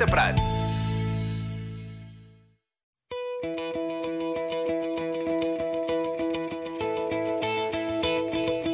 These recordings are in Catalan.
Planeta Prat.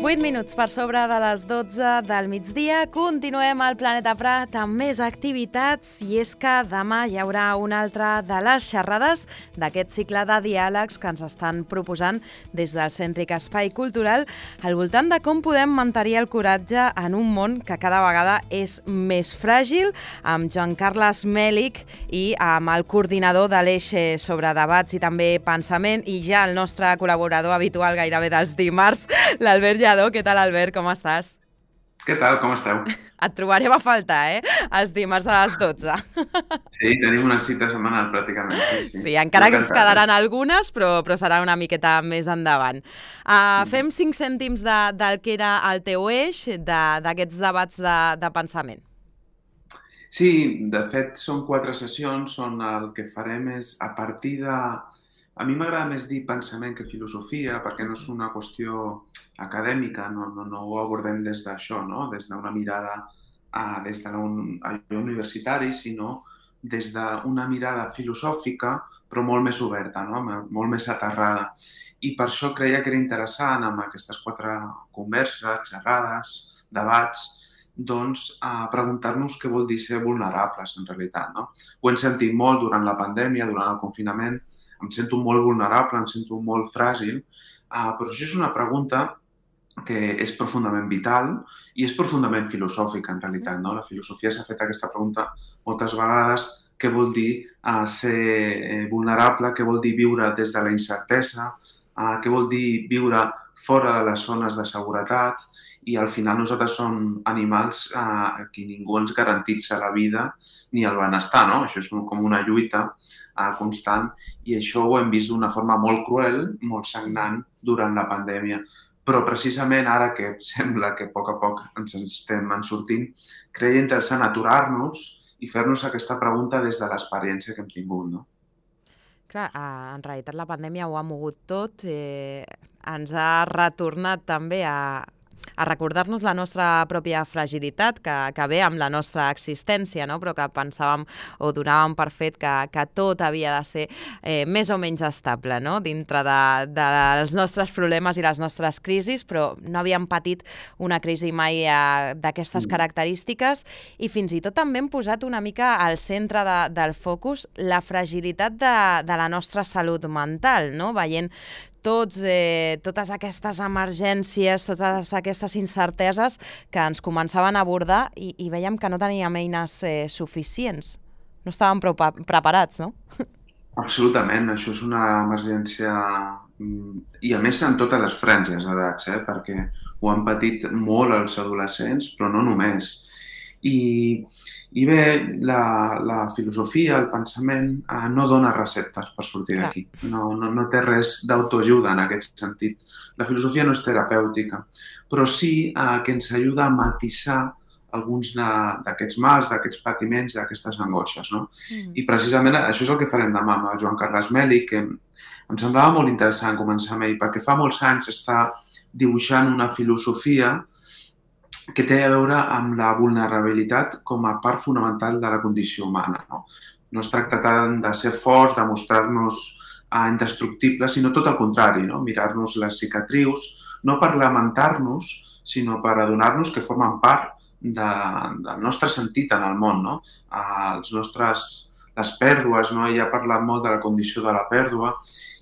Vuit minuts per sobre de les 12 del migdia. Continuem al Planeta Prat amb més activitats i és que demà hi haurà una altra de les xerrades d'aquest cicle de diàlegs que ens estan proposant des del Cèntric Espai Cultural al voltant de com podem mantenir el coratge en un món que cada vegada és més fràgil, amb Joan Carles Mèlich i amb el coordinador de l'Eix sobre debats i també pensament i ja el nostre col·laborador habitual gairebé dels dimarts, l'Albert Lladó. Què tal, Albert? Com estàs? Què tal? Com esteu? Et trobarem a faltar, Els dimarts a les 12. Sí, tenim una cita setmanal, pràcticament. Sí, encara que ens quedaran algunes, però serà una miqueta més endavant. Fem 5 cèntims del que era el teu eix, d'aquests debats de pensament. Sí, de fet, són 4 sessions on el que farem és a partir de... A mi m'agrada més dir pensament que filosofia, perquè no és una qüestió acadèmica, no ho abordem des d'això, no? Des d'una mirada des de allò universitari, sinó des d'una mirada filosòfica, però molt més oberta, no? Molt més aterrada. I per això creia que era interessant, amb aquestes 4 converses, xerrades, debats, doncs preguntar-nos què vol dir ser vulnerables, en realitat, no? Ho hem sentit molt durant la pandèmia, durant el confinament. Em sento molt vulnerable, em sento molt fràgil, però això és una pregunta que és profundament vital i és profundament filosòfica, en realitat, no? La filosofia s'ha fet aquesta pregunta moltes vegades, què vol dir ser vulnerable, què vol dir viure des de la incertesa, què vol dir viure fora de les zones de seguretat, i al final nosaltres som animals que ningú ens garantitza la vida ni el benestar, no? Això és com una lluita constant i això ho hem vist d'una forma molt cruel, molt sagnant durant la pandèmia. Però precisament ara que sembla que a poc ens estem sortint, creia interessant aturar-nos i fer-nos aquesta pregunta des de l'experiència que hem tingut, no? Clar, en realitat la pandèmia ho ha mogut tot, ens ha retornat també a recordar-nos la nostra pròpia fragilitat que ve amb la nostra existència, no? Però que pensàvem o donàvem per fet que tot havia de ser més o menys estable, no? Dintre dels nostres problemes i les nostres crisis, però no havíem patit una crisi mai d'aquestes característiques i fins i tot també hem posat una mica al centre del focus la fragilitat de la nostra salut mental, no? Veient totes aquestes emergències, totes aquestes incerteses que ens començaven a abordar i veiem que no teníem eines suficients. No estàvem prou preparats, no? Absolutament, això és una emergència i a més en totes les franges d'edats, perquè ho han patit molt els adolescents, però no només. I bé, la filosofia, el pensament, no dona receptes per sortir d'aquí. No té res d'autoajuda en aquest sentit. La filosofia no és terapèutica, però sí que ens ajuda a matisar alguns d'aquests mals, d'aquests patiments, d'aquestes angoixes, no? I precisament això és el que farem demà amb el Joan Carles Mèlich, que em semblava molt interessant començar amb ell, perquè fa molts anys està dibuixant una filosofia que té a veure amb la vulnerabilitat com a part fonamental de la condició humana, no? No es tracta tant de ser forts, de mostrar-nos indestructibles, sinó tot el contrari, no? Mirar-nos les cicatrius, no per lamentar-nos, sinó per adonar-nos que formen part del nostre sentit en el món, no? Les pèrdues, no? Ell ha parlat molt de la condició de la pèrdua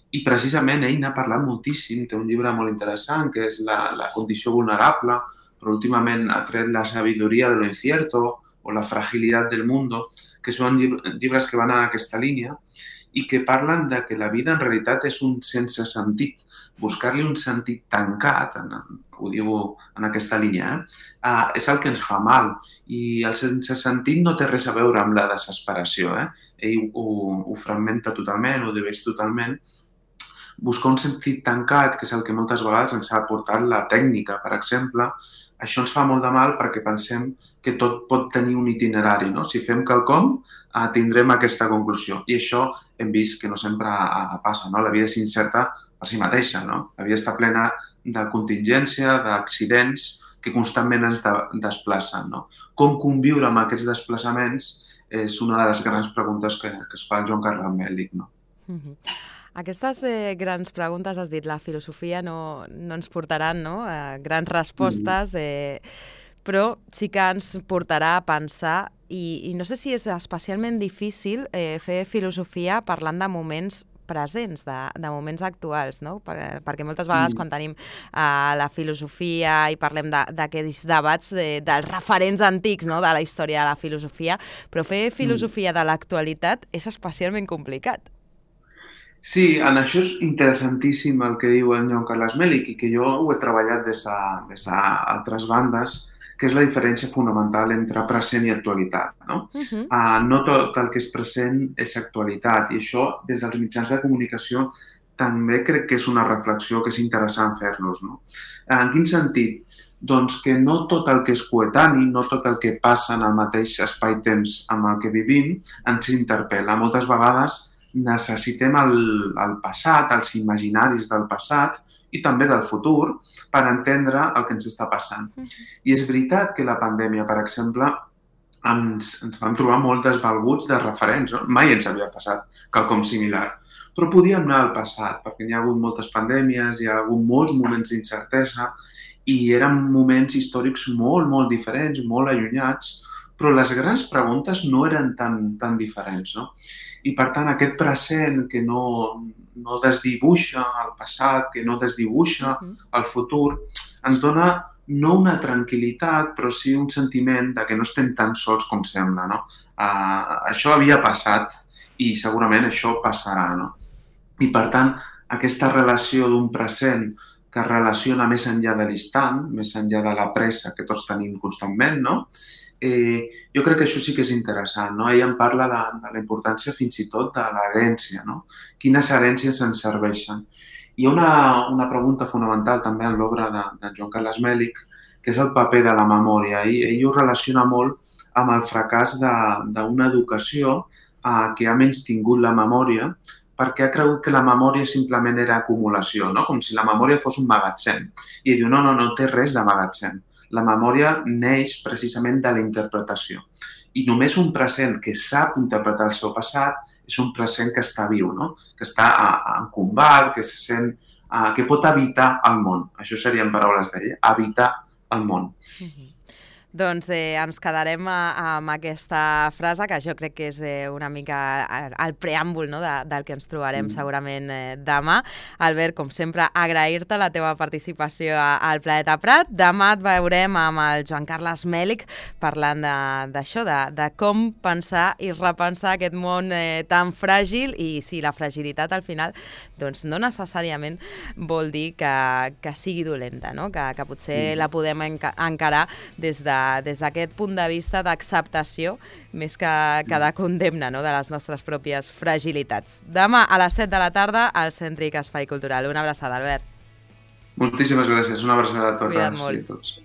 i precisament ell n'ha parlat moltíssim. Té un llibre molt interessant que és la condició vulnerable, però últimament ha tret La sabiduría de lo incierto o La fragilidad del mundo, que són llibres que van en aquesta línia i que parlen de que la vida en realitat és un sense sentit. Buscar-li un sentit tancat, ho diu en aquesta línia, és el que ens fa mal. I el sense sentit no té res a veure amb la desesperació. Ell ho fragmenta totalment, ho divideix totalment. Buscar un sentit tancat, que és el que moltes vegades ens ha portat la tècnica, per exemple, això ens fa molt de mal perquè pensem que tot pot tenir un itinerari, no? Si fem quelcom, tindrem aquesta conclusió. I això hem vist que no sempre passa, no? La vida és incerta per si mateixa, no? La vida està plena de contingència, d'accidents que constantment ens desplacen, no? Com conviure amb aquests desplaçaments és una de les grans preguntes que es fa el Joan Carles Mèlic, no? Aquestes grans preguntes, has dit, la filosofia no ens portaran, no? Grans respostes, però sí que ens portarà a pensar, i no sé si és especialment difícil fer filosofia parlant de moments presents, de moments actuals, no? Perquè moltes vegades quan tenim la filosofia i parlem d'aquests debats dels referents antics, no? De la història de la filosofia, però fer filosofia de l'actualitat és especialment complicat. Sí, en això és interessantíssim el que diu el Joan Carles Mèlic i que jo ho he treballat des d'altres bandes, que és la diferència fonamental entre present i actualitat. No? No tot el que és present és actualitat i això des dels mitjans de comunicació també crec que és una reflexió que és interessant fer-nos. No? En quin sentit? Doncs que no tot el que és coetani, no tot el que passa en el mateix espai-temps amb el que vivim ens interpel·la. Moltes vegades necessitem el passat, els imaginaris del passat i també del futur per entendre el que ens està passant. I és veritat que la pandèmia, per exemple, ens vam trobar molt desvalguts de referents. No? Mai ens havia passat quelcom similar. Però podíem anar al passat, perquè hi ha hagut moltes pandèmies, hi ha hagut molts moments d'incertesa i eren moments històrics molt, molt diferents, molt allunyats, però les grans preguntes no eren tan diferents. No? I, per tant, aquest present que no desdibuixa el passat, que no desdibuixa el futur, ens dona no una tranquil·litat, però sí un sentiment de que no estem tan sols com sembla. No? Això havia passat i segurament això passarà. No? I, per tant, aquesta relació d'un present que es relaciona més enllà de l'instant, més enllà de la pressa que tots tenim constantment, no? Jo crec que això sí que és interessant. No? Ell en parla de la importància fins i tot de l'herència. No? Quines herències ens serveixen? Hi ha una pregunta fonamental també en l'obra de Joan Carles Mèlic, que és el paper de la memòria. Ell ho relaciona molt amb el fracàs d'una educació que ha menystingut la memòria perquè ha cregut que la memòria simplement era acumulació, no? Com si la memòria fos un magatzem. I diu, no té res de magatzem. La memòria neix precisament de la interpretació. I només un present que sap interpretar el seu passat és un present que està viu, no? Que està en combat, que se sent, que pot habitar el món. Això serien paraules d'ell, habitar el món. Doncs ens quedarem amb aquesta frase, que jo crec que és una mica el preàmbul, no? del que ens trobarem segurament demà. Albert, com sempre, agrair-te la teva participació al Planeta Prat. Demà et veurem amb el Joan Carles Mèlic parlant d'això, de com pensar i repensar aquest món tan fràgil, i si la fragilitat al final doncs no necessàriament vol dir que sigui dolenta, no? Que potser la podem encarar des d'aquest punt de vista d'acceptació més que de condemna, no? De les nostres pròpies fragilitats. Demà a les 7 de la tarda al Cèntric Espai Cultural. Una abraçada, Albert. Moltíssimes gràcies. Una abraçada a totes i a tots.